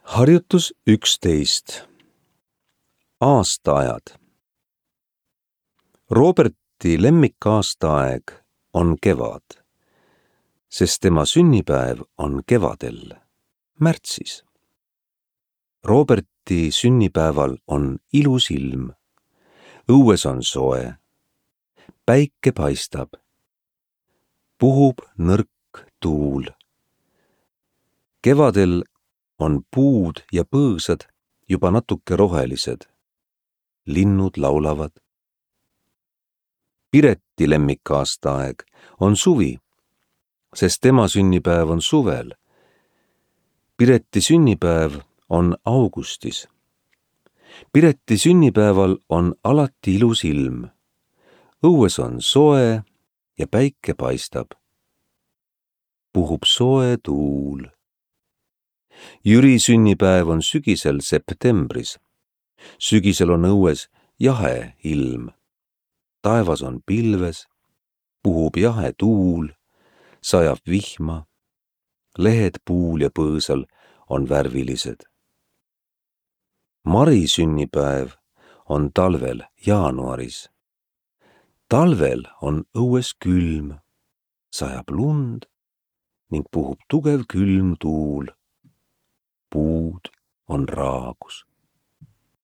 Harjutus 11. Aastaajad. Roberti lemmikaastaaeg on kevad, sest tema sünnipäev on kevadel, märtsis. Roberti sünnipäeval on ilus ilm, õues on soe, päike paistab, puhub nõrk tuul. Kevadel on puud ja põõsad juba natuke rohelised. Linnud laulavad. Pireti lemmikaastaaeg on suvi, sest tema sünnipäev on suvel. Pireti sünnipäev on augustis. Pireti sünnipäeval on alati ilus ilm. Õues on soe ja päike paistab. Puhub soe tuul. Jüri sünnipäev on sügisel septembris. Sügisel on õues jahe ilm. Taevas on pilves, puhub jahe tuul, sajab vihma. Lehed puul ja põõsal on värvilised. Mari sünnipäev on talvel jaanuaris. Talvel on õues külm, sajab lund ning puhub tugev külm tuul. Puud on raagus.